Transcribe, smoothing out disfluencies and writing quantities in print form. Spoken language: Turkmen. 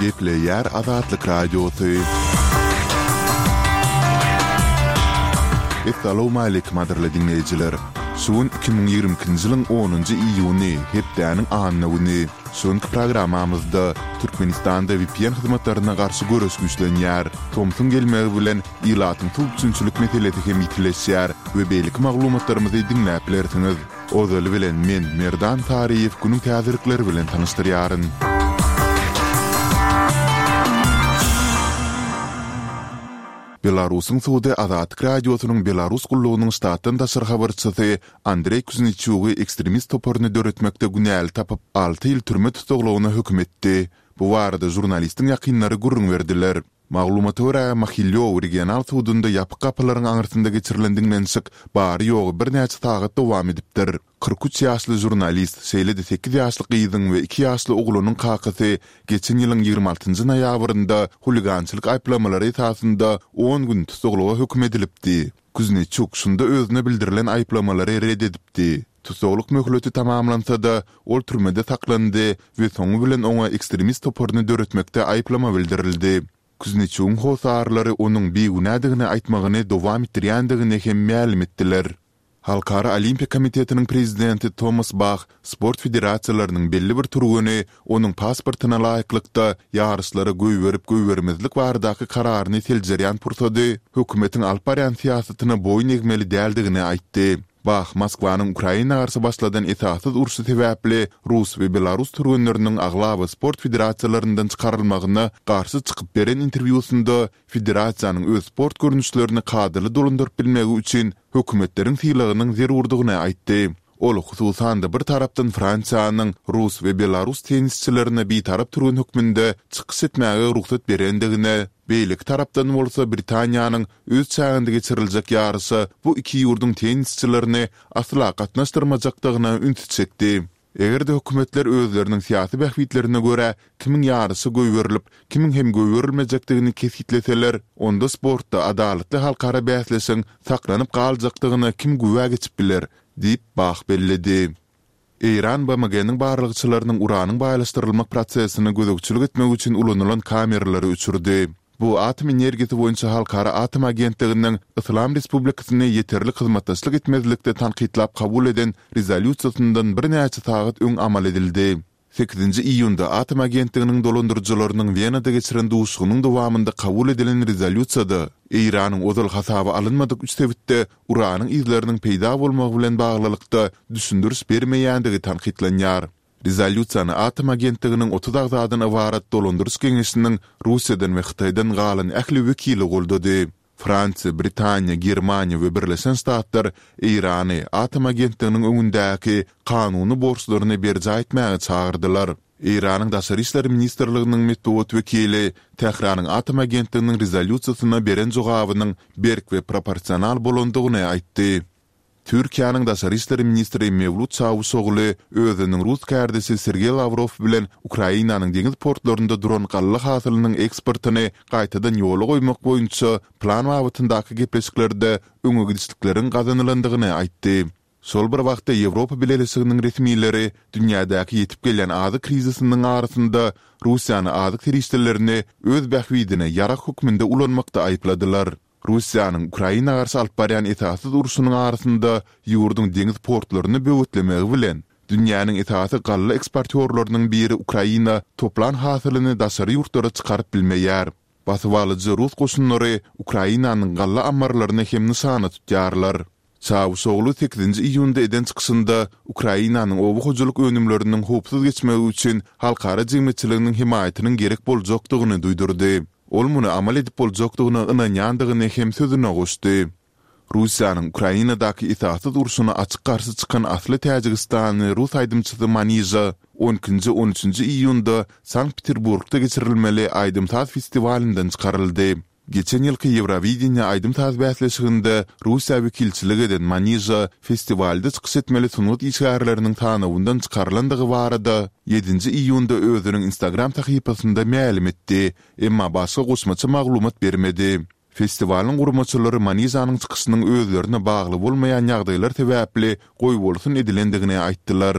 Gepleýär Azatlyk Radiosy. Essalawmaleýkim gadyrly diňleýjiler! Şu gün 2022-nji ýylyň onunjy iýuny, hepdäniň anna güni. Şu günki programmamyzda Türkmenistanda vpn hyzmatlaryna garşy göreş güýçlenýär. Tomsuň gelmegi bilen ilatyň suw üpjünçilik meselesi hem ýitileşýär we beýleki maglumatlarymyzy diňläp bilersiňiz. Ozaly bilen men, Merdan Saryýew günüň täzelikleri bilen tanyşdyrýaryn. Belarusyň sudy Azatlyk Radiosynyň Belarus gullugynyň ştatdan daşary habarçysy Andreý Kuzneçugy ekstremist toparyny döretmekde günäli tapyp, alty ýyl türme tussaglygyna höküm etdi. Bu barada žurnalistiň ýakynlary gürrüň berdiler. Maglumata görä, Mahilýow regional sudunda ýapyk gapylaryň aňyrsynda geçirilen diňlenişik bary-ýogy birnäçe sagat dowam edipdir. 43 ýaşly žurnalist, şeýle-de sekiz ýaşly gyzyň we iki ýaşly oglunyň kakasy geçen ýylyň 26 nji noýabrynda huligançylyk aýyplamalary esasynda on gün tussaglyga höküm edilipdi. Kuzneçuk şunda özüne bildirilen aýyplamalary ret edipdi. Tussaglyk möhleti tamamlansa-da, ol türmede saklandy we soňy bilen oňa ekstremist toparyny döretmekde aýyplama bildirildi. Kuzneçugyň hossarlary onuň bigünädigini aýtmagyny dowam etdirýändigini hem mälim etdiler. Halkara Olimpiýa komitetiniň prezidenti Tomas Bah sport federasiýalarynyň belli bir türgeni onuň pasportyna laýyklykda ýaryşlara goýberip-goýbermezlik baradaky kararyny seljerýän pursady hökümetiň alyp barýan syýasatyna boýun egmeli däldigini aýtdy. Bah Moskwanyň Ukraina garşy başladan esassyz urşy sebäpli rus we belarus türgenleriniň aglaba sport federasiýalaryndan çykarylmagyna garşy çykyp beren interwýusynda federasiýanyň öz sport görnüşlerini kadaly dolandyryp bilmegi üçin hökümetleriň sylagynyň zerurdygyny aýtdy. Ol, hususan-da, bir tarapdan Fransiýanyň rus we belarus tennisçilerine bitarap türgen hökmünde çykyş etmäge rugsat berendigine, beýleki tarapdan bolsa Britaniýanyň öz çäginde geçiriljek ýaryşa bu iki ýurduň tennisçilerini asla gatnaşdyrmajakdygyna ünsi çekdi. Eger-de hökümetler özleriniň syýasy bähbitlerine görä kimiň ýaryşa goýberilip, kimiň hem goýberilmejekdigini kesgitleseler, onda sportda adalatly halkara bäsleşigiň saklanyp galjakdygyna kim güwä geçip biler? diýip, Bah belledi. Eýran BMG-niň barlagçylarynyň uranyň baýlaşdyrylmak prosesine gözegçilik etmek üçin ulanylan kameralary öçürdi. Bu Atom energiýasy boýunça halkara atom agentliginiň Yslam Respublikasyny ýeterlik hyzmatdaşlyk etmezlikde tankytlap kabul eden rezolýusiýasyndan birnäçe sagat öň amal edildi. Sekizinji iýunda Atom agentliginiň dolandyryjylarynyň Wenada geçiren duşuşygynyň dowamynda kabul edilen rezolýusiýada Eýranyň ozal hasaba alynmadyk üç sebitde uranyň yzlarynyň peýda bolmagy bilen baglylykda düşündiriş bermeýändigi tankytlanýar. Rezolýusiýany Atom agentliginiň 30 agzadan ybarat dolandyryş geňeşiniň Russiýadan we Hytaýdan galan ähli wekili goldady. Fransiýa, Britaniýa, Germaniýa we Birleşen Ştatlar Eýrany Atom agentliginiň öňündäki kanuny borçlaryny berjaý etmäge çagyrdylar. Eýranyň Daşary işler ministrliginiň metbugat wekili Tähranyň Atom agentliginiň rezolýusiýasyna beren jogabynyň berk we proporsional bolandygyny aýtdy. Türkiýäniň daşary işler ministri Mewlut Çawuşogly özüniň rus kärdeşi Sergeý Lawrow bilen Ukrainanyň deňiz portlarynda duran galla hasylynyň eksportyny gaýtadan ýola goýmak boýunça plan babatyndaky gepleşiklerde öňe gidişlikleriň gazanylandygyny aýtdy. Şol bir wagtda Ýewropa Bileleşiginiň resmileri dünýädäki ýetip gelýän azyk krizisiniň arasynda Russiýany azyk serişdelerini öz bähbidine ýarag hökmünde ulanmakda aýypladylar. Russiýanyň Ukraina garşy alyp barýan esassyz urşunyň arasynda ýurduň deňiz portlaryny böwetlemegi bilen, dünýäniň esasy galla eksportýorlarynyň biri Ukraina toplan hasylyny daşary ýurtlara çykaryp bilmeýär. Basybalyjy rus goşunlary Ukrainanyň galla ammarlaryny hem nyşana tutýarlar. Çawuşoglu sekizinji iýunda eden çykyşynda Ukrainanyň oba hojalyk önümleriniň howpsuz geçmegi üçin halkara jemgyýetçiliginiň hemaýatynyň gerek boljakdygyny duýdurdy. Ol muny amal edip boljakdygyna ynanýandygyny hem sözüne goşdy. Russiýanyň Ukrainadaky esassyz urşuna açyk garşy çykan asly täjigistanly rus aýdymçysy Manija on ikinji, on üçünji iýunda Sankt-Peterburgda geçirilmeli aýdym-saz festiwalyndan çykaryldy. Geçen ýylky Ýewrowideniýe aýdym-saz bäsleşiginde Russiýa wekilçilik eden Manija festiwalda çykyş etmeli sungat işgärleriniň sanawyndan çykarylandygy barada ýedinji iýunda özüniň Instagram sahypasynda mälim etdi, emma başga goşmaça maglumat bermedi. Festiwalyň guramaçylary Manijanyň çykyşynyň özlerine bagly bolmaýan ýagdaýlar sebäpli goýbolsun edilendigini aýtdylar.